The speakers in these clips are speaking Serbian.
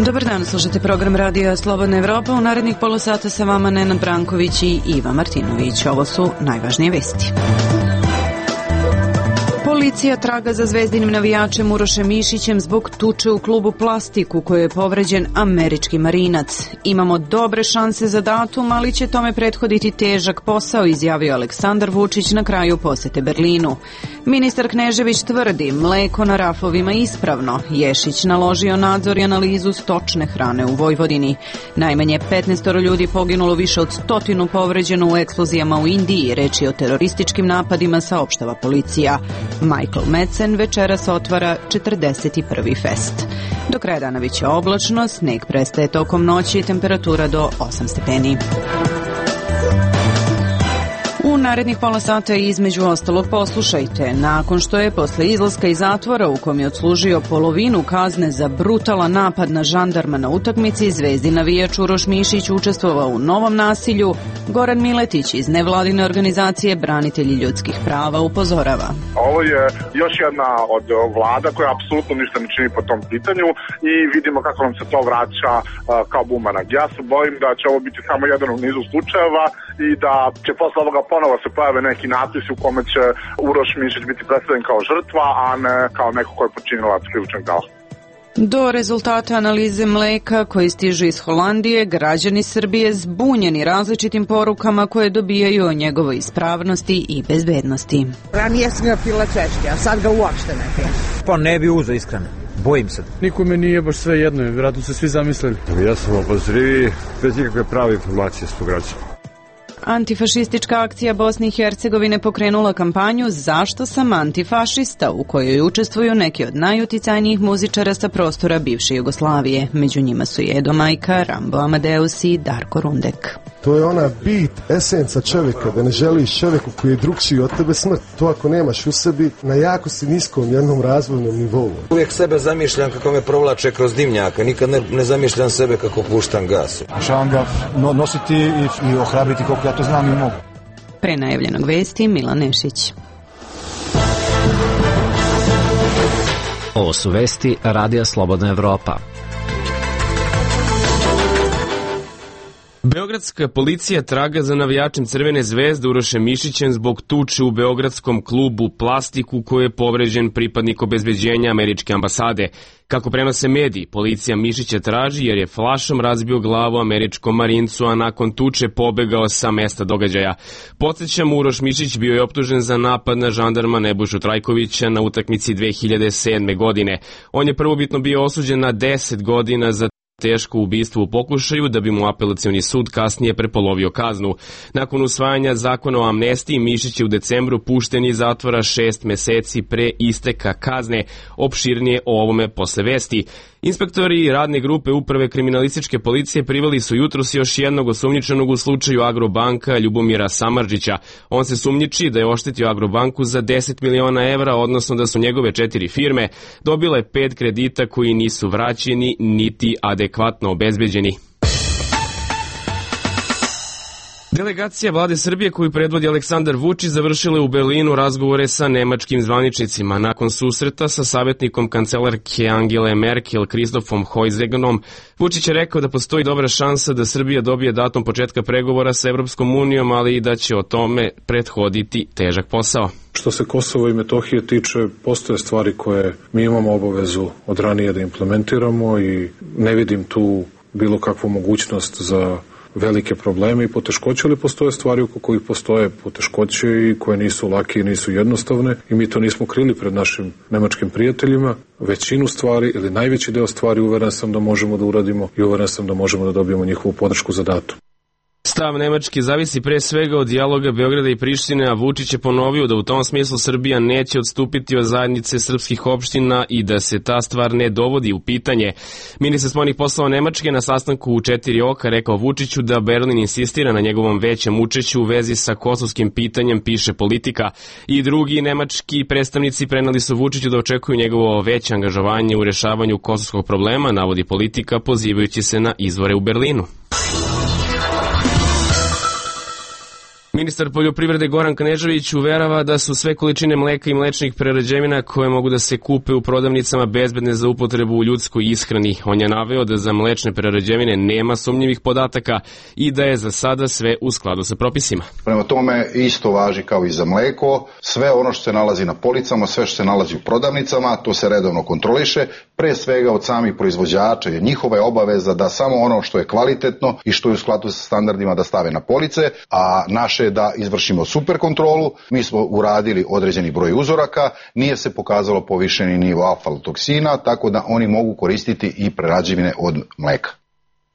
Dobar dan, slušate program Radija Slobodna Evropa. U narednih pola sata sa vama Nenad Branković i Iva Martinović. Ovo su najvažnije vesti. Policija traga za zvezdinim navijačem Urošem Mišićem zbog tuče u klubu Plastik u kojoj je povređen američki marinac. Imamo dobre šanse za datum, ali će tome prethoditi težak posao, izjavio Aleksandar Vučić na kraju posete Berlinu. Ministar Knežević tvrdi, mleko na rafovima ispravno. Ješić naložio nadzor i analizu stočne hrane u Vojvodini. Najmanje 15 ljudi poginulo, više od 100 povređeno u eksplozijama u Indiji. Reč je o terorističkim napadima, saopštava policija. Michael Madsen večeras otvara 41. fest. Do kraja dana biće oblačno, sneg prestaje tokom noći i temperatura do 8 stepeni. U narednih pola sata između ostalog poslušajte. Nakon što je posle izlaska iz zatvora u kom je odslužio polovinu kazne za brutalan napad na žandarma na utakmici, zvezdin navijač Uroš Mišić učestvovao u novom nasilju, Goran Miletić iz nevladine organizacije Branitelji ljudskih prava upozorava. Ovo je još jedna od vlada koja apsolutno ništa ne čini po tom pitanju i vidimo kako nam se to vraća kao bumerang. Ja se bojim da će ovo biti samo jedan u nizu slučajeva i da će posle ovoga ponovo se pojave neki natpisi u kome će Uroš Mišić biti predstavljen kao žrtva, a ne kao neko ko je počinilac krivičnog dela. Do rezultata analize mleka koji stižu iz Holandije, građani Srbije zbunjeni različitim porukama koje dobijaju o njegovoj ispravnosti i bezbednosti. Ranije sam ga pila češće, a sad ga uopšte ne pijem. Pa ne bi uzeo iskreno. Bojim se. Nikome nije baš sve jedno, vjerojatno se svi zamislili. Ja sam obazrivi, bez ikakve prave informacije s građana. Antifašistička akcija Bosne i Hercegovine pokrenula kampanju Zašto sam antifašista, u kojoj učestvuju neki od najuticajnijih muzičara sa prostora bivše Jugoslavije. Među njima su Edo Majka, Rambo Amadeus i Darko Rundek. To je ona bit, esenca čovjeka, da ne želiš čovjeku koji je drugčiji od tebe smrt. To ako nemaš u sebi, na jako si niskom jednom razvojnom nivou. Uvijek sebe zamišljam kako me provlače kroz dimnjaka, nikad ne zamišljam sebe kako puštam gas. Želim ga nositi i ohrabriti koliko ja to znam i mogu. Pre najavljenog vesti Milan Nešić. Ovo su vesti Radija Slobodna Evropa. Beogradska policija traga za navijačem Crvene zvezde Urošem Mišićem zbog tuče u beogradskom klubu Plastik u kojoj je povređen pripadnik obezbeđenja američke ambasade. Kako prenose mediji, policija Mišića traži jer je flašom razbio glavu američkom marincu, a nakon tuče pobegao sa mesta događaja. Podsjećam, Uroš Mišić bio je optužen za napad na žandarma Nebojšu Trajkovića na utakmici 2007. godine. On je prvobitno bio osuđen na 10 godina za teško ubistvo u pokušaju, da bi mu apelacioni sud kasnije prepolovio kaznu. Nakon usvajanja zakona o amnestiji, Mišić je u decembru pušten iz zatvora 6 meseci pre isteka kazne. Opširnije o ovome posle vesti. Inspektori radne grupe Uprave kriminalističke policije priveli su jutros još jednog osumnjičenog u slučaju Agrobanka Ljubomira Samardžića. On se sumnjiči da je oštetio Agrobanku za 10 miliona evra, odnosno da su njegove 4 firme dobile 5 kredita koji nisu vraćeni niti adekvatno obezbeđeni. Delegacija vlade Srbije koju predvodi Aleksandar Vučić završila u Berlinu razgovore sa nemačkim zvaničnicima. Nakon susreta sa savjetnikom kancelarke Angele Merkel, Kristofom Hojzegnom, Vučić je rekao da postoji dobra šansa da Srbija dobije datum početka pregovora sa Evropskom unijom, ali i da će o tome prethoditi težak posao. Što se Kosova i Metohije tiče, postoje stvari koje mi imamo obavezu od ranije da implementiramo i ne vidim tu bilo kakvu mogućnost za velike probleme i poteškoće, ali postoje stvari oko kojih postoje poteškoće i koje nisu lake i nisu jednostavne i mi to nismo krili pred našim nemačkim prijateljima. Većinu stvari ili najveći deo stvari uveren sam da možemo da uradimo i uveren sam da možemo da dobijemo njihovu podršku za datum. Stav Nemačke zavisi pre svega od dijaloga Beograda i Prištine, a Vučić je ponovio da u tom smislu Srbija neće odstupiti od zajednice srpskih opština i da se ta stvar ne dovodi u pitanje. Ministar spoljnih poslova Nemačke na sastanku u 4 oka rekao Vučiću da Berlin insistira na njegovom većem učešću u vezi sa kosovskim pitanjem, piše Politika. I drugi nemački predstavnici preneli su Vučiću da očekuju njegovo veće angažovanje u rešavanju kosovskog problema, navodi Politika, pozivajući se na izvore u Berlinu. Ministar poljoprivrede Goran Knežević uverava da su sve količine mleka i mlečnih prerađevina koje mogu da se kupe u prodavnicama bezbedne za upotrebu u ljudskoj ishrani. On je naveo da za mlečne prerađevine nema sumnjivih podataka i da je za sada sve u skladu sa propisima. Prema tome isto važi kao i za mleko. Sve ono što se nalazi na policama, sve što se nalazi u prodavnicama, to se redovno kontroliše. Pre svega od samih proizvođača je njihova obaveza da samo ono što je kvalitetno i što je u skladu sa standardima da stave na police, a naše da izvršimo super kontrolu. Mi smo uradili određeni broj uzoraka, nije se pokazalo povišeni nivo aflatoksina, tako da oni mogu koristiti i prerađevine od mleka.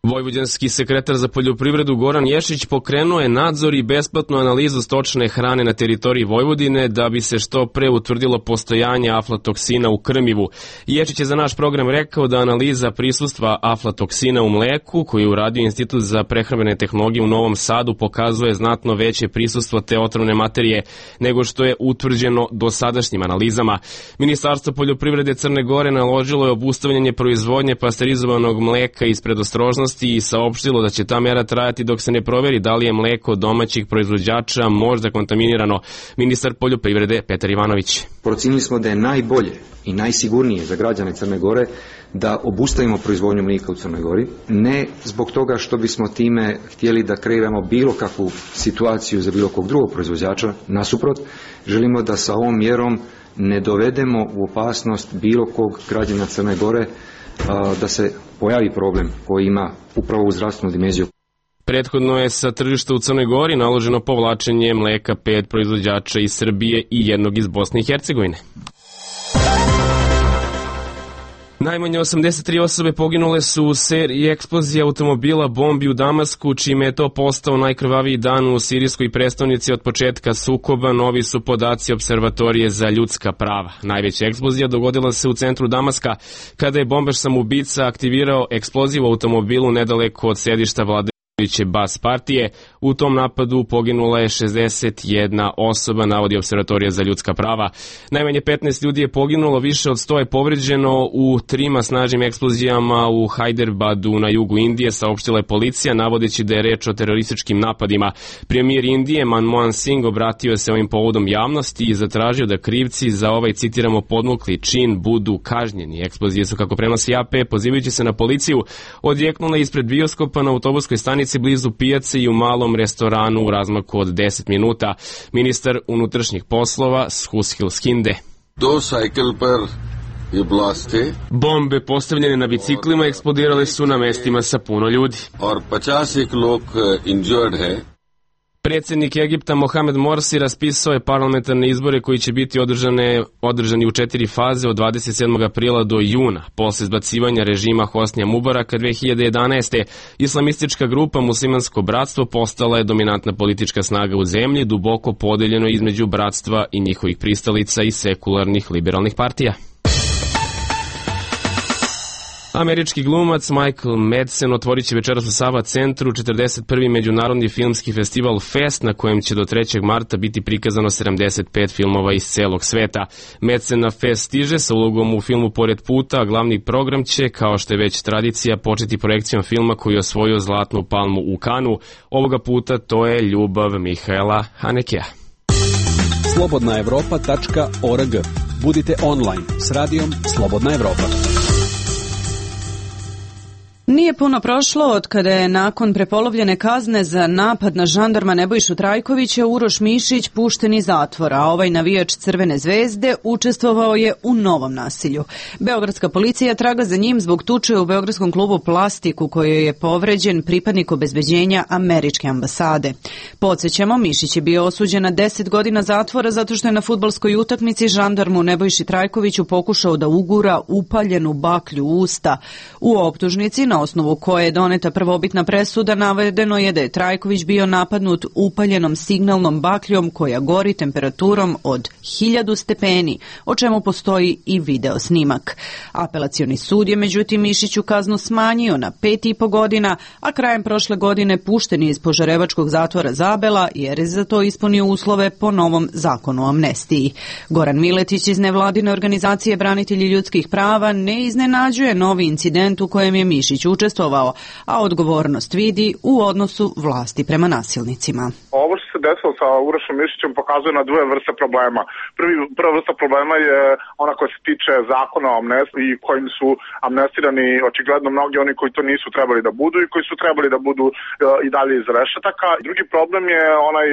Vojvođanski sekretar za poljoprivredu Goran Ješić pokrenuo je nadzor i besplatnu analizu stočne hrane na teritoriji Vojvodine da bi se što pre utvrdilo postojanje aflatoksina u krmivu. Ješić je za naš program rekao da analiza prisustva aflatoksina u mleku, koju je uradio Institut za prehrambene tehnologije u Novom Sadu, pokazuje znatno veće prisustvo te otrovne materije nego što je utvrđeno dosadašnjim analizama. Ministarstvo poljoprivrede Crne Gore naložilo je obustavljanje proizvodnje pasterizovanog mleka iz predostrožnosti i saopštilo da će ta mera trajati dok se ne proveri da li je mleko domaćih proizvođača možda kontaminirano. Ministar poljoprivrede Petar Ivanović. Procenili smo da je najbolje i najsigurnije za građane Crne Gore da obustavimo proizvodnju mlijeka u Crnoj Gori, ne zbog toga što bismo time htjeli da kreiramo bilo kakvu situaciju za bilo kog drugog proizvođača, nasuprot, želimo da sa ovom mjerom ne dovedemo u opasnost bilo kog građana Crne Gore da se pojavi problem koji ima upravo u zdravstvenu dimenziju. Prethodno je sa tržišta u Crnoj Gori naloženo povlačenje mleka 5 proizvođača iz Srbije i jednog iz Bosne i Hercegovine. Najmanje 83 osobe poginule su u seriji eksplozija automobila bombi u Damasku, čime je to postao najkrvaviji dan u sirijskoj prestonici od početka sukoba, novi su podaci Observatorije za ljudska prava. Najveća eksplozija dogodila se u centru Damaska, kada je bombaš samoubica aktivirao eksploziv u automobilu nedaleko od sedišta vladajuće Bas partije. U tom napadu poginula je 61 osoba, navodi Observatorija za ljudska prava. Najmanje 15 ljudi je poginulo, više od 100 je povređeno u 3 snažnim eksplozijama u Hyderabadu na jugu Indije, saopštila je policija, navodeći da je reč o terorističkim napadima. Premijer Indije Manmohan Singh obratio se ovim povodom javnosti i zatražio da krivci za ovaj, citiramo, podmukli čin budu kažnjeni. Eksplozije su, kako prenosi AP, pozivajući se na policiju, odjeknule ispred bioskopa na autobuskoj stanici blizu pijace i u malom restoranu u razmaku od 10 minuta. Ministar unutrašnjih poslova Sushil Skinde. Bombe postavljene na biciklima eksplodirale su na mestima sa puno ljudi. Predsjednik Egipta Mohamed Morsi raspisao je parlamentarne izbore koji će biti održani u 4 faze od 27. aprila do juna. Posle izbacivanja režima Hosnija Mubaraka 2011. islamistička grupa Muslimansko bratstvo postala je dominantna politička snaga u zemlji, duboko podeljeno između bratstva i njihovih pristalica i sekularnih liberalnih partija. Američki glumac Michael Madsen otvorit će večeras u Sava centru 41. međunarodni filmski festival Fest, na kojem će do 3. marta biti prikazano 75 filmova iz celog sveta. Madsen na Fest stiže sa ulogom u filmu Pored puta, a glavni program će, kao što je već tradicija, početi projekcijom filma koji je osvojio Zlatnu palmu u Kanu. Ovoga puta to je Ljubav Mihaela Hanekea. slobodnaevropa.org. Budite online s radijom Slobodna Evropa. Nije puno prošlo od kada je nakon prepolovljene kazne za napad na žandarma Nebojšu Trajkovića Uroš Mišić pušten iz zatvora, a ovaj navijač Crvene zvezde učestvovao je u novom nasilju. Beogradska policija traga za njim zbog tuče u beogradskom klubu Plastik u kojoj je povređen pripadnik obezbeđenja američke ambasade. Podsjećamo, Mišić je bio osuđen na 10 godina zatvora zato što je na fudbalskoj utakmici žandarmu Nebojši Trajkoviću pokušao da ugura upaljenu baklju u usta. U optužnici, na osnovu koje je doneta prvobitna presuda, navedeno je da je Trajković bio napadnut upaljenom signalnom bakljom koja gori temperaturom od 1000 stepeni, o čemu postoji i video snimak. Apelacioni sud je međutim Mišiću kaznu smanjio na 5,5 godina, a krajem prošle godine pušten je iz Požarevačkog zatvora Zabela jer je za to ispunio uslove po novom zakonu o amnestiji. Goran Miletić iz nevladine organizacije Branitelji ljudskih prava ne iznenađuje novi incident u kojem je Mišić učestvovao, a odgovornost vidi u odnosu vlasti prema nasilnicima. Ovo što se se desilo sa Urošem Mišićem pokazuje na dve vrste problema. Prva vrsta problema je ona koja se tiče zakona o amnestiji kojim su amnestirani očigledno mnogi oni koji to nisu trebali da budu i koji su trebali da budu i dalje iz rešetaka. Drugi problem je onaj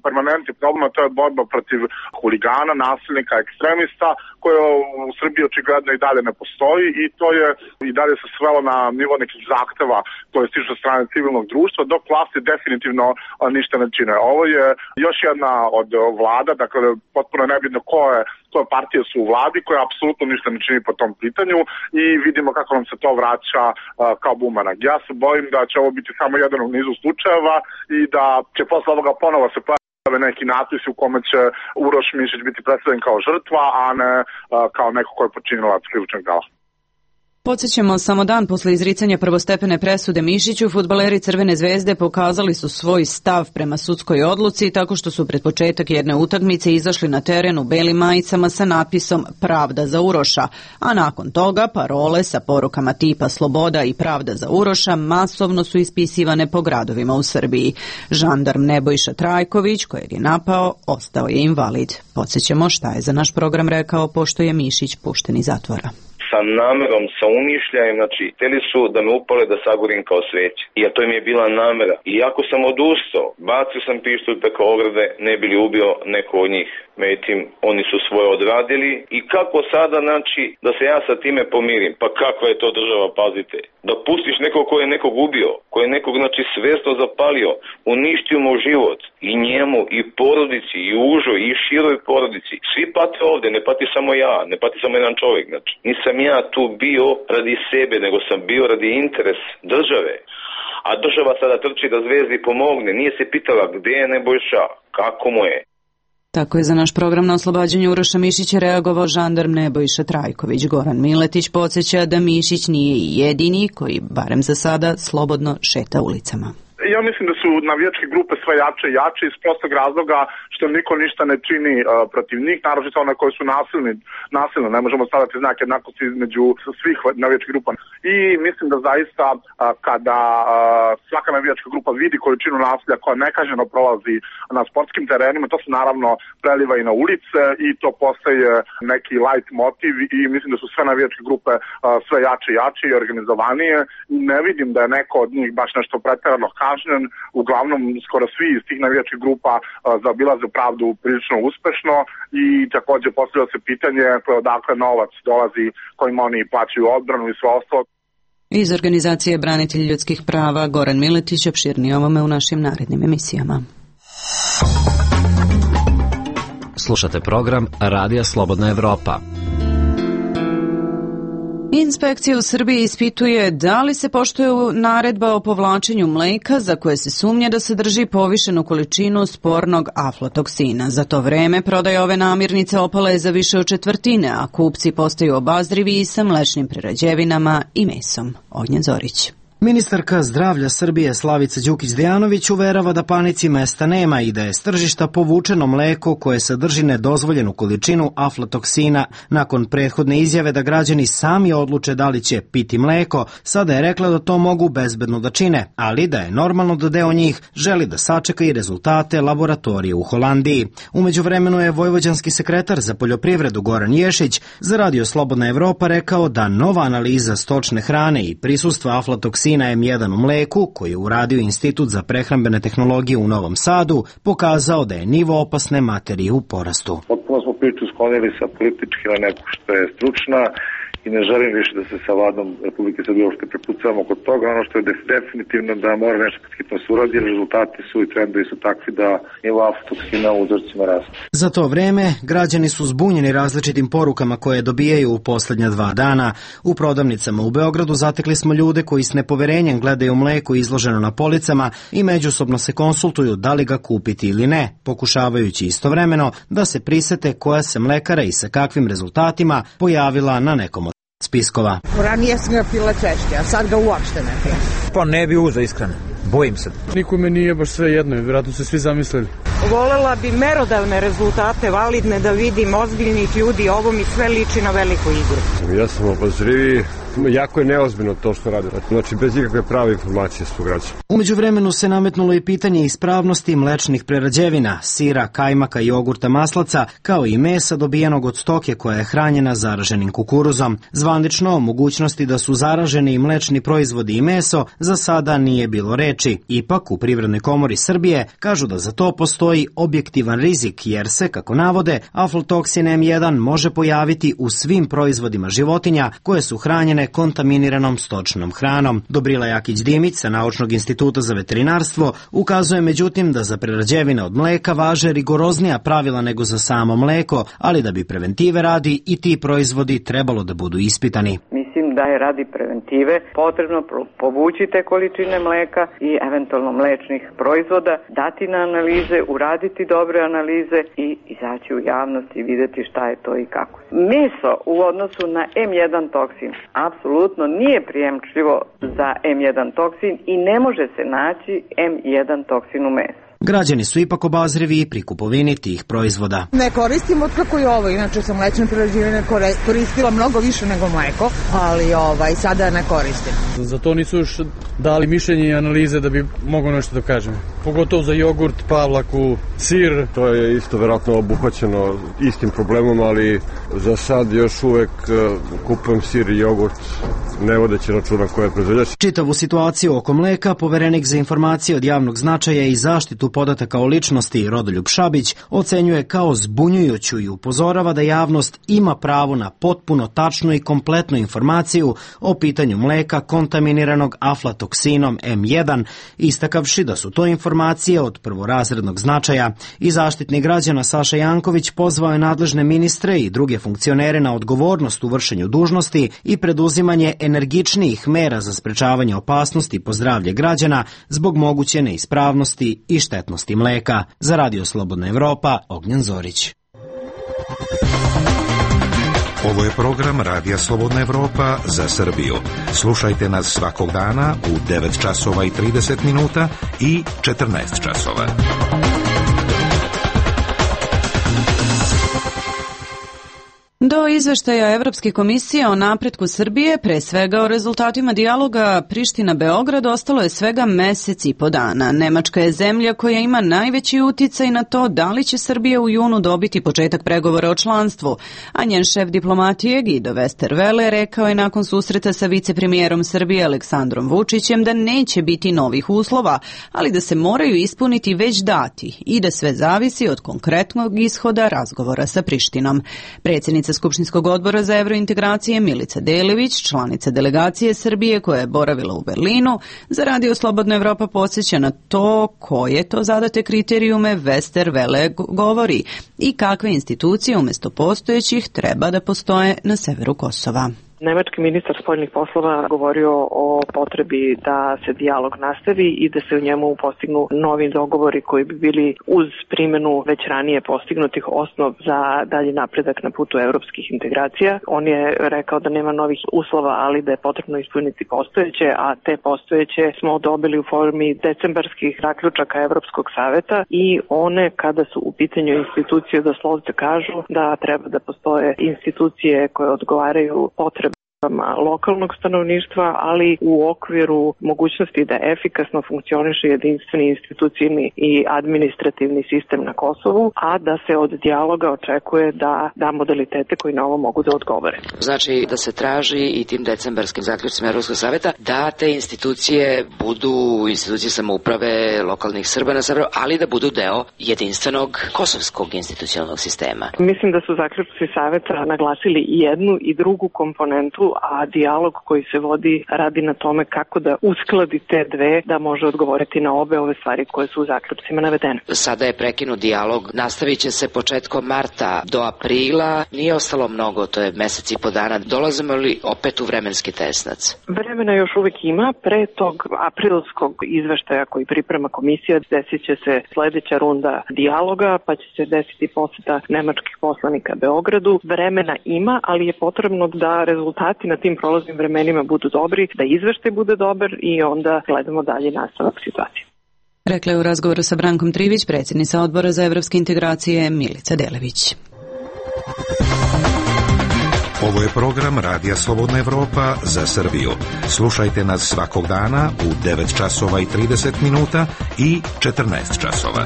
permanentni problem, a to je borba protiv huligana, nasilnika, ekstremista, koja u Srbiji očigledno i dalje ne postoji i to je i dalje se svelo na nivo nekih zahteva koje stižu od strane civilnog društva, dok vlasti definitivno ništa ne čine. Ovo je još jedna od vlada, dakle potpuno nebitno koje partije su u vladi, koja apsolutno ništa ne čini po tom pitanju i vidimo kako nam se to vraća kao bumerang. Ja se bojim da će ovo biti samo jedan u nizu slučajeva i da će posle ovoga ponovo se neki natpis u kome će Uroš Mišić biti predstavljen kao žrtva, a ne kao neko ko je počinilac krivičnog dela. Podsjećamo, samo dan posle izricanja prvostepene presude Mišiću, fudbaleri Crvene zvezde pokazali su svoj stav prema sudskoj odluci tako što su pred početak jedne utakmice izašli na teren u belim majicama sa napisom Pravda za Uroša, a nakon toga parole sa porukama tipa Sloboda i Pravda za Uroša masovno su ispisivane po gradovima u Srbiji. Žandarm Nebojša Trajković, kojeg je napao, ostao je invalid. Podsjećamo šta je za naš program rekao pošto je Mišić pušten iz zatvora. Sa namerom, sa umišljajem, znači, htjeli su da me upale da sagorim kao sveće. I to im je bila namera. I ako sam odustao, bacio sam pištolj preko ograde, ne bi li ubio neko od njih. Međutim, oni su svoje odradili. I kako sada, znači, da se ja sa time pomirim? Pa kakva je to država, pazite? Da pustiš nekog ko je nekog ubio, ko je nekog, znači, svesno zapalio, uništio mu život, i njemu, i porodici, i užoj, i široj porodici. Svi pate ovde, ne pati samo ja, ne pati samo jedan čovjek, znači. Nisam ja tu bio radi sebe, nego sam bio radi interes države. A država sada trči da Zvezdi pomogne. Nije se pitala gde je Nebojša, kako mu je. Tako je za naš program na oslobađanju Uroša Mišića reagovao žandarm Nebojša Trajković. Goran Miletić podsjeća da Mišić nije i jedini koji, barem za sada, slobodno šeta ulicama. Ja mislim da su navijačke grupe sve jače i jače iz prostog razloga što niko ništa ne čini protiv njih, naročito one koje su nasilne. Ne možemo staviti znak jednakosti između svih navijačkih grupa. I mislim da zaista kada svaka navijačka grupa vidi količinu nasilja koja nekažnjeno prolazi na sportskim terenima, to se naravno preliva i na ulice i to postaje neki light motiv i mislim da su sve navijačke grupe sve jače i jače i organizovanije. Ne vidim da je neko od njih baš nešto preterano kažnjen, uglavnom skoro svi iz tih navijačkih grupa zaobilaze pravdu prilično uspešno i takođe postavlja se pitanje odakle novac dolazi kojim oni plaćaju odbranu i sve ostalo. Iz organizacije Branitelji ljudskih prava Goran Miletić opširnije ovome u našim narednim emisijama. Slušate program Radija Slobodna Evropa. Inspekcija u Srbiji ispituje da li se poštuje naredba o povlačenju mleka za koje se sumnja da sadrži povišenu količinu spornog aflatoksina. Za to vreme prodaja ove namirnice opala je za više od četvrtine, a kupci postaju obazrivi i sa mlečnim prerađevinama i mesom. Ognjen Zorić. Ministarka zdravlja Srbije Slavica Đukić-Dejanović uverava da panici mesta nema i da je s tržišta povučeno mleko koje sadrži nedozvoljenu količinu aflatoksina. Nakon prethodne izjave da građani sami odluče da li će piti mleko, sada je rekla da to mogu bezbedno da čine, ali da je normalno da deo njih želi da sačeka i rezultate laboratorije u Holandiji. Umeđu vremenu je vojvođanski sekretar za poljoprivredu Goran Ješić za Radio Slobodna Evropa rekao da nova analiza stočne hrane i prisustva aflatoksina M1 u mleku, koji je uradio Institut za prehrambene tehnologije u Novom Sadu, pokazao da je nivo opasne materije u porastu. Potpuno smo priču sklonili sa politički na neku što je stručna i ne želim više da se sa vladom Republike Srbije uopšte prepucavamo kod toga. Ono što je definitivno da mora nešto hitno se uradi, jer rezultati su i trendovi su takvi da nivo aflatoksina u uzorcima raste. Za to vreme građani su zbunjeni različitim porukama koje dobijaju u poslednja 2 dana. U prodavnicama u Beogradu zatekli smo ljude koji s nepoverenjem gledaju mleko izloženo na policama i međusobno se konsultuju da li ga kupiti ili ne, pokušavajući istovremeno da se prisete koja se mlekara i sa kakvim rezultatima pojavila na nekom od spiskova. Ranije sam ga pila češće, a sad ga uopšte ne pijem. Pa ne bi uzeo iskreno. Bojim se. Nikome nije baš sve jedno, vjerojatno se svi zamislili. Volela bi merodavne rezultate, validne, da vidim ozbiljnih ljudi, ovo mi sve liči na veliku igru. Ja sam obazrivi, jako je neozbiljno to što radi. Znači, bez ikakve prave informacije su građani. Umeđu vremenu se nametnulo i pitanje ispravnosti mlečnih prerađevina, sira, kajmaka, jogurta, maslaca, kao i mesa dobijenog od stoke koja je hranjena zaraženim kukuruzom. Zvanično o mogućnosti da su zaraženi i mlečni proizvodi i meso za sada nije bilo reči. Ipak, u Privrednoj komori Srbije kažu da za to postoji objektivan rizik, jer se, kako navode, aflatoksin M1 može pojaviti u svim proizvodima životinja koje su hranjene kontaminiranom stočnom hranom. Dobrila Jakić-Dimić sa Naučnog instituta za veterinarstvo ukazuje međutim da za prerađevine od mleka važe rigoroznija pravila nego za samo mleko, ali da bi preventive radi i ti proizvodi trebalo da budu ispitani. Mislim da je radi preventive potrebno povući te količine mleka i eventualno mlečnih proizvoda, dati na analize, uraditi dobre analize i izaći u javnost i videti šta je to i kako. Meso u odnosu na M1 toksin apsolutno nije prijemčivo za M1 toksin i ne može se naći M1 toksin u mesu. Građani su ipak obazrivi pri kupovini tih proizvoda. Ne koristim otkako je ovo, inače sam mlečne prerađevine koristila mnogo više nego mleko, ali sada ne koristim. Za to nisu još dali mišljenje i analize da bi mogao nešto da kažem. Pogotovo za jogurt, pavlaku, sir. To je isto verovatno obuhvaćeno istim problemom, ali za sad još uvek kupujem sir i jogurt, ne vodeći računa koje je proizvođač. Čitavu situaciju oko mleka poverenik za informacije od javnog značaja i zaštitu podataka o ličnosti Rodoljub Šabić ocenjuje kao zbunjujuću i upozorava da javnost ima pravo na potpuno tačnu i kompletnu informaciju o pitanju mleka kontaminiranog aflatoksinom M1, istakavši da su to informacije od prvorazrednog značaja. I Zaštitnik građana Saša Janković pozvao je nadležne ministre i druge funkcionere na odgovornost u vršenju dužnosti i preduzimanje energičnijih mera za sprečavanje opasnosti po zdravlje građana zbog moguće neispravnosti i štetnosti mleka. Za Radio Slobodna Evropa, Ognjen Zorić. Ovo je program Radija Slobodna Evropa za Srbiju. Slušajte nas svakog dana u 9 časova i 30 minuta i 14 časova. Do izveštaja Evropske komisije o napretku Srbije, pre svega o rezultatima dijaloga Priština-Beograd, ostalo je svega mesec i po dana. Nemačka je zemlja koja ima najveći uticaj na to da li će Srbija u junu dobiti početak pregovora o članstvu, a njen šef diplomatije Guido Westerwelle rekao je nakon susreta sa vicepremijerom Srbije Aleksandrom Vučićem da neće biti novih uslova, ali da se moraju ispuniti već dati i da sve zavisi od konkretnog ishoda razgovora sa Prištinom. Predsjednica Skupštinskog odbora za evrointegracije Milica Delević, članica delegacije Srbije koja je boravila u Berlinu, za Radio Slobodna Evropa podsjeća na to koje to zadate kriterijume Westerwelle govori i kakve institucije umjesto postojećih treba da postoje na severu Kosova. Nemački ministar spoljnih poslova govorio o potrebi da se dijalog nastavi i da se u njemu postignu novi dogovori koji bi bili uz primjenu već ranije postignutih osnov za dalji napredak na putu europskih integracija. On je rekao da nema novih uslova, ali da je potrebno ispuniti postojeće, a te postojeće smo dobili u formi decembarskih zaključaka Evropskog saveta i one kada su u pitanju institucije doslovce kažu da treba da postoje institucije koje odgovaraju potrebama lokalnog stanovništva, ali u okviru mogućnosti da efikasno funkcioniše jedinstveni institucijni i administrativni sistem na Kosovu, a da se od dijaloga očekuje da da modalitete koji na ovo mogu da odgovore. Znači da se traži i tim decembarskim zaključcima Evropskog saveta da te institucije budu institucije samouprave lokalnih Srba na severu, ali da budu deo jedinstvenog kosovskog institucionalnog sistema. Mislim da su zaključci saveta naglasili i jednu i drugu komponentu, a dijalog koji se vodi radi na tome kako da uskladi te dve da može odgovoriti na obe ove stvari koje su u zaključcima navedene. Sada je prekinut dijalog, nastavit će se početkom marta do aprila, nije ostalo mnogo, to je mesec i po dana. Dolazimo li opet u vremenski tesnac? Vremena još uvek ima, pre tog aprilskog izveštaja koji priprema komisija desit će se sledeća runda dijaloga, pa će se desiti poseta nemačkih poslanika Beogradu. Vremena ima, ali je potrebno da rezultati na tim prolaznim vremenima budu dobri, da izveštaj bude dobar i onda gledamo dalje nastavak situacije. Rekla je u razgovoru sa Brankom Trivić predsjednica Odbora za evropske integracije Milica Delević. Ovo je program Radija Slobodna Evropa za Srbiju. Slušajte nas svakog dana u 9 časova i 30 minuta i 14 časova.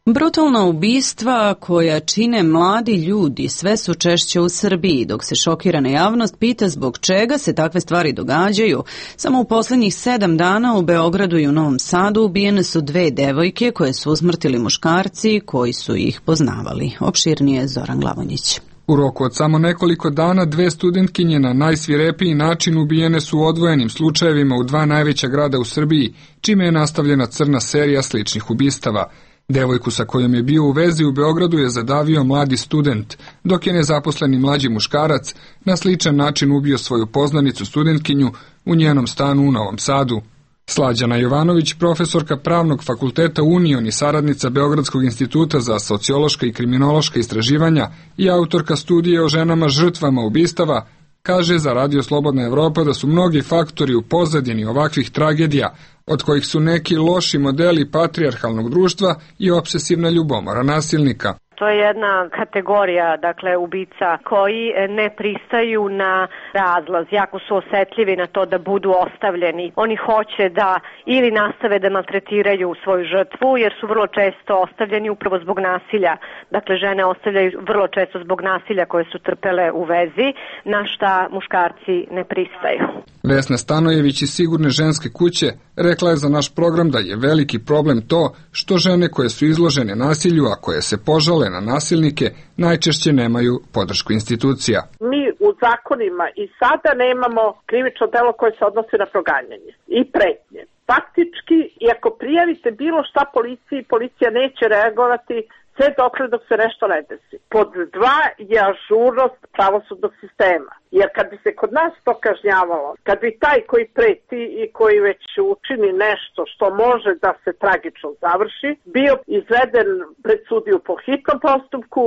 Brutalna ubistva koja čine mladi ljudi sve su češće u Srbiji, dok se šokirana javnost pita zbog čega se takve stvari događaju. Samo u posljednjih 7 dana u Beogradu i u Novom Sadu ubijene su 2 devojke koje su usmrtili muškarci koji su ih poznavali. Opširnije Zoran Glavonjić. U roku od samo nekoliko dana 2 studentkinje na najsvirepiji način ubijene su u odvojenim slučajevima u 2 najveća grada u Srbiji, čime je nastavljena crna serija sličnih ubistava. Devojku sa kojom je bio u vezi u Beogradu je zadavio mladi student, dok je nezaposleni mlađi muškarac na sličan način ubio svoju poznanicu studentkinju u njenom stanu u Novom Sadu. Slađana Jovanović, profesorka Pravnog fakulteta Union i saradnica Beogradskog instituta za sociološka i kriminološka istraživanja i autorka studije o ženama žrtvama ubistava, kaže za Radio Slobodna Evropa da su mnogi faktori u pozadini ovakvih tragedija, od kojih su neki loši modeli patrijarhalnog društva i obsesivna ljubomora nasilnika. To je jedna kategorija, dakle, ubica koji ne pristaju na razlaz, jako su osetljivi na to da budu ostavljeni. Oni hoće da ili nastave da maltretiraju svoju žrtvu, jer su vrlo često ostavljeni upravo zbog nasilja. Dakle, žene ostavljaju vrlo često zbog nasilja koje su trpele u vezi, na šta muškarci ne pristaju. Vesna Stanojević iz Sigurne ženske kuće rekla je za naš program da je veliki problem to što žene koje su izložene nasilju, a koje se požale na nasilnike, najčešće nemaju podršku institucija. Mi u zakonima i sada nemamo krivično delo koje se odnosi na proganjanje i pretnje. Faktički, i ako prijavite bilo šta policiji, policija neće reagovati sve dok se nešto ne desi. Pod 2 je ažurnost pravosudnog sistema. Jer kad bi se kod nas to kažnjavalo, kad bi taj koji preti i koji već učini nešto što može da se tragično završi, bio izveden pred sudiju po hitnom postupku,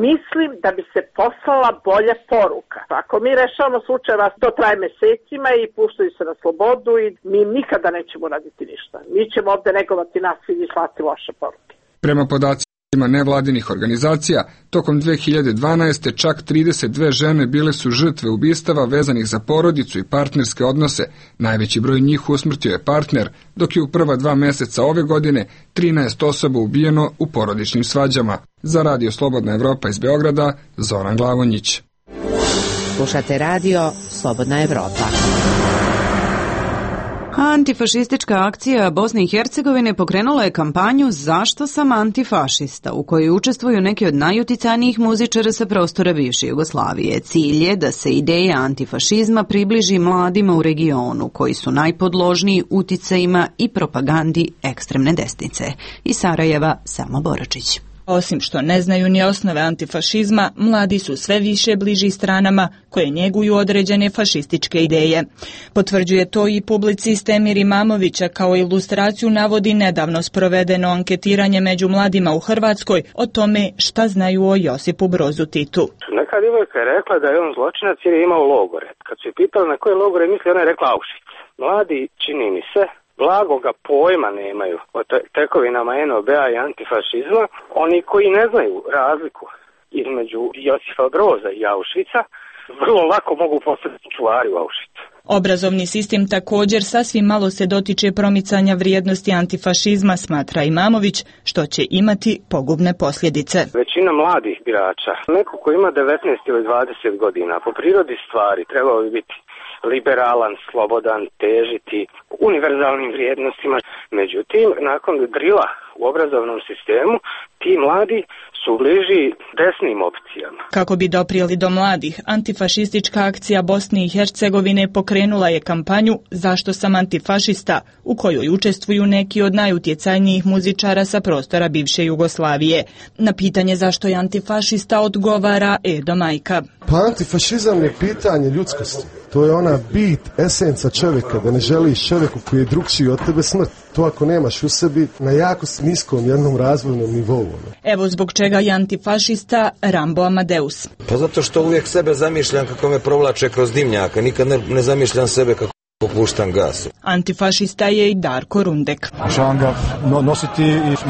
mislim da bi se poslala bolja poruka. Ako mi rešavamo slučajeva, to traje mesecima i puštaju se na slobodu i mi nikada nećemo raditi ništa. Mi ćemo ovde negovati nasilje i slati loše poruke. Prema podacima nevladinih organizacija, tokom 2012. čak 32 žene bile su žrtve ubistava vezanih za porodicu i partnerske odnose. Najveći broj njih usmrtio je partner, dok je u prva 2 meseca ove godine 13 osoba ubijeno u porodičnim svađama. Za Radio Slobodna Evropa iz Beograda, Zoran Glavonjić. Slušate Radio Slobodna Evropa. Antifašistička akcija Bosne i Hercegovine pokrenula je kampanju Zašto sam antifašista, u kojoj učestvuju neki od najuticajnijih muzičara sa prostora bivše Jugoslavije. Cilj je da se ideja antifašizma približi mladima u regionu, koji su najpodložniji uticajima i propagandi ekstremne desnice. Iz Sarajeva, Selma Boračić. Osim što ne znaju ni osnove antifašizma, mladi su sve više bliži stranama koje njeguju određene fašističke ideje. Potvrđuje to i publicist Emir Imamovića, kao ilustraciju navodi nedavno sprovedeno anketiranje među mladima u Hrvatskoj o tome šta znaju o Josipu Brozu Titu. Neka djevojka je rekla da je on zločinac jer je imao logore. Kad su je pitali na koje logore misli, ona je rekla Auschwitz. Mladi, čini mi se, blagoga pojma nemaju o tekovinama NOB-a i antifašizma. Oni koji ne znaju razliku između Josipa Broza i Auschwitza vrlo lako mogu postati čuvari u Auschwitzu. Obrazovni sistem također sasvim malo se dotiče promicanja vrijednosti antifašizma, smatra Imamović, što će imati pogubne posljedice. Većina mladih birača, neko ko ima 19 ili 20 godina, po prirodi stvari trebao bi biti liberalan, slobodan, težiti univerzalnim vrijednostima. Međutim, nakon drila u obrazovnom sistemu, ti mladi su bliži desnim opcijama. Kako bi doprijeli do mladih, antifašistička akcija Bosne i Hercegovine pokrenula je kampanju Zašto sam antifašista, u kojoj učestvuju neki od najutjecajnijih muzičara sa prostora bivše Jugoslavije. Na pitanje zašto je antifašista odgovara Edo Majka. Pa antifašizam je pitanje ljudskosti. To je ona bit, esenca čovjeka, da ne želiš čovjeku koji je drugčiji od tebe smrt. To ako nemaš u sebi na jako niskom jednom razvojnom nivou. Evo zbog čega je antifašista Rambo Amadeus. Pa zato što uvijek sebe zamišljam kako me provlače kroz dimnjaka, nikad ne zamišljam sebe kako puštam gas. Antifašista je i Darko Rundek. Želim ga nositi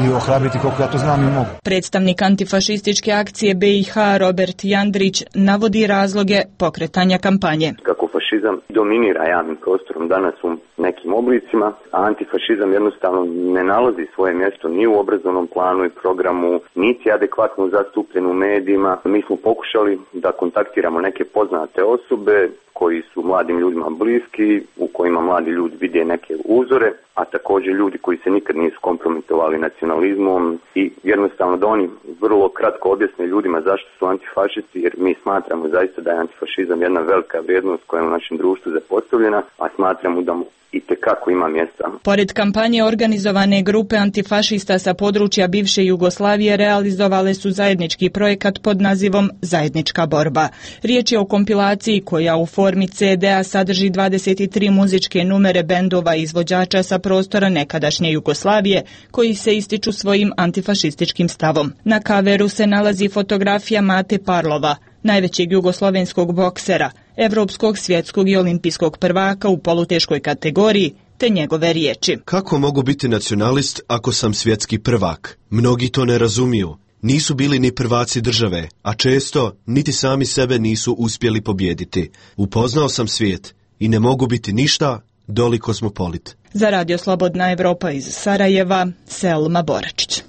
i ohrabriti koliko ja to znam i mogu. Predstavnik antifašističke akcije BiH Robert Jandrić navodi razloge pokretanja kampanje. Kako fašizam dominira javnim prostorom danas u nekim oblicima, a antifašizam jednostavno ne nalazi svoje mjesto ni u obrazovnom planu i programu, niti adekvatno zastupljen u medijima. Mi smo pokušali da kontaktiramo neke poznate osobe koji su mladim ljudima bliski, u kojima mladi ljudi vide neke uzore, a također ljudi koji se nikad nisu kompromitovali nacionalizmom i jednostavno da oni vrlo kratko objasne ljudima zašto su antifašisti, jer mi smatramo zaista da je antifašizam jedna velika vrijednost koja je u našem društvu zapostavljena, a smatramo da mu i tekako ima mjesta. Pored kampanje, organizovane grupe antifašista sa područja bivše Jugoslavije realizovale su zajednički projekat pod nazivom Zajednička borba. Riječ je o kompilaciji koja u formi CD-a sadrži 23 muzičke numere bendova i izvođača sa prostora nekadašnje Jugoslavije koji se ističu svojim antifašističkim stavom. Na kaveru se nalazi fotografija Mate Parlova, najvećeg jugoslovenskog boksera, evropskog, svjetskog i olimpijskog prvaka u poluteškoj kategoriji, te njegove riječi. Kako mogu biti nacionalist ako sam svjetski prvak? Mnogi to ne razumiju. Nisu bili ni prvaci države, a često niti sami sebe nisu uspjeli pobijediti. Upoznao sam svijet i ne mogu biti ništa doli kozmopolit. Za Radio Slobodna Evropa iz Sarajeva, Selma Boračić.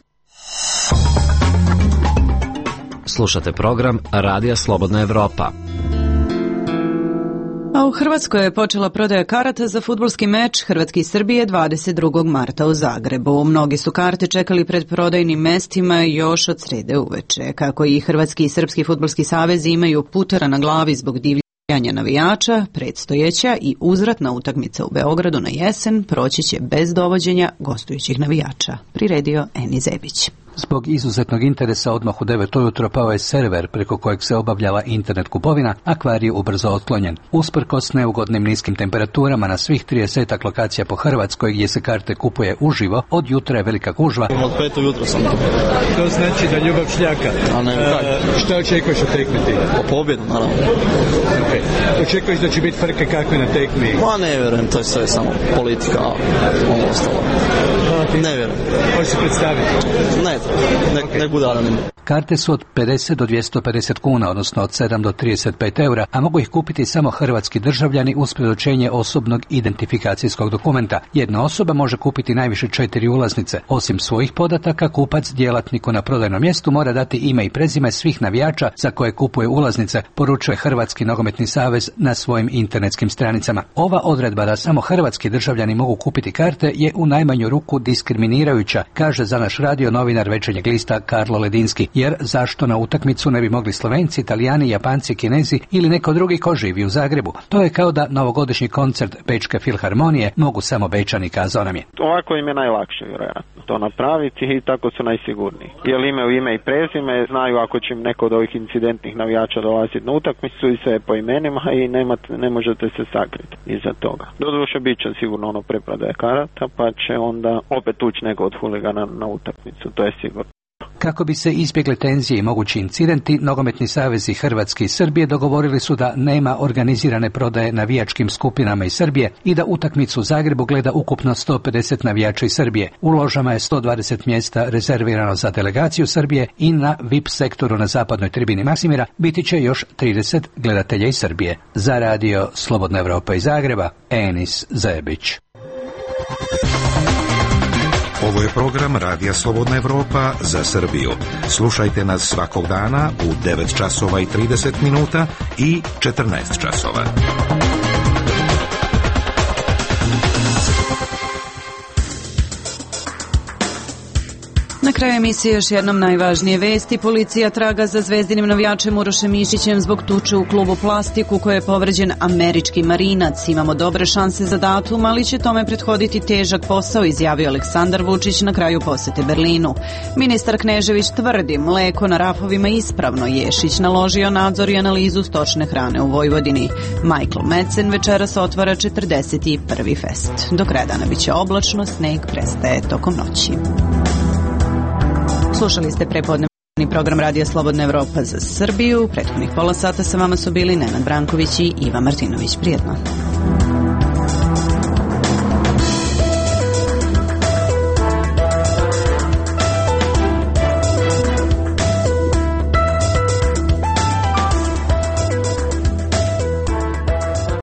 Slušate program Radija Slobodna Evropa. A u Hrvatskoj je počela prodaja karata za fudbalski meč Hrvatske i Srbije 22. marta u Zagrebu. Mnogi su karte čekali pred prodajnim mestima još od srede uveče. Kako i Hrvatski i Srpski fudbalski savezi imaju putera na glavi zbog divljanja navijača, predstojeća i uzvratna utakmica u Beogradu na jesen proći će bez dovođenja gostujućih navijača, priredio Eni Zebić. Zbog izuzetnog interesa odmah u 9 ujutro pao je server preko kojeg se obavljala internet kupovina, a kvar je ubrzo otklonjen. Usprkos neugodnim niskim temperaturama na svih 30 lokacija po Hrvatskoj gdje se karte kupuje uživo, od jutra je velika gužva. Od 5 ujutro sam tu. To znači da ljubav šljaka. A ne, šta očekuješ od tekmiti? Po pobjedu, naravno. Okay. Očekuješ da će biti frke kakve na tekmi? Ma ne vjerujem, to je sve samo politika, ono ostalo. Ne vjerujem. Možeš se predstaviti? Ne bude anonim. Karte su od 50 do 250 kuna, odnosno od 7 do 35 eura, a mogu ih kupiti samo hrvatski državljani uz predočenje osobnog identifikacijskog dokumenta. Jedna osoba može kupiti najviše 4 ulaznice. Osim svojih podataka, kupac djelatniku na prodajnom mjestu mora dati ime i prezime svih navijača za koje kupuje ulaznice, poručuje Hrvatski nogometni savez na svojim internetskim stranicama. Ova odredba da samo hrvatski državljani mogu kupiti karte je u najmanju ruku diskriminirajuća, kaže za naš radio novinar Večernjeg lista Karlo Ledinski, jer zašto na utakmicu ne bi mogli Slovenci, Italijani, Japanci, Kinezi ili neko drugi ko živi u Zagrebu? To je kao da novogodišnji koncert Bečke filharmonije mogu samo Bečani, kazao nam je. Ovako im je najlakše vjerojatno to napraviti i tako su najsigurniji. Jer imaju ime i prezime, znaju ako će im neko od ovih incidentnih navijača dolaziti na utakmicu i sve po imenima i ne možete se sakriti iza toga. Doduše bit će sigurno ono preprodaje karata, pa će onda opet ući neko od huligana na utakmicu, to je sigurno. Kako bi se izbjegle tenzije i mogući incidenti, nogometni savezi Hrvatske i Srbije dogovorili su da nema organizirane prodaje navijačkim skupinama iz Srbije i da utakmicu u Zagrebu gleda ukupno 150 navijača iz Srbije. U ložama je 120 mjesta rezervirano za delegaciju Srbije i na VIP sektoru na zapadnoj tribini Maksimira biti će još 30 gledatelja iz Srbije. Za radio Slobodna Evropa iz Zagreba, Enis Zebić. Ovo je program Radija Slobodna Evropa za Srbiju. Slušajte nas svakog dana u 9 časova i 30 minuta i 14 časova. Na kraju emisije još jednom najvažnije vesti. Policija traga za zvezdinim navijačem Urošem Mišićem zbog tuče u klubu Plastik u kojoj je povređen američki marinac. Imamo dobre šanse za datum, ali će tome prethoditi težak posao, izjavio Aleksandar Vučić na kraju posete Berlinu. Ministar Knežević tvrdi mleko na rafovima ispravno. Ješić naložio nadzor i analizu stočne hrane u Vojvodini. Michael Madsen večeras otvara 41. fest. Do kraja dana biće oblačno, sneg prestaje tokom noći. Slušali ste prepodnevni program Radija Slobodna Evropa za Srbiju. Prethodnih pola sata sa vama su bili Nenad Branković i Iva Martinović. Prijetno.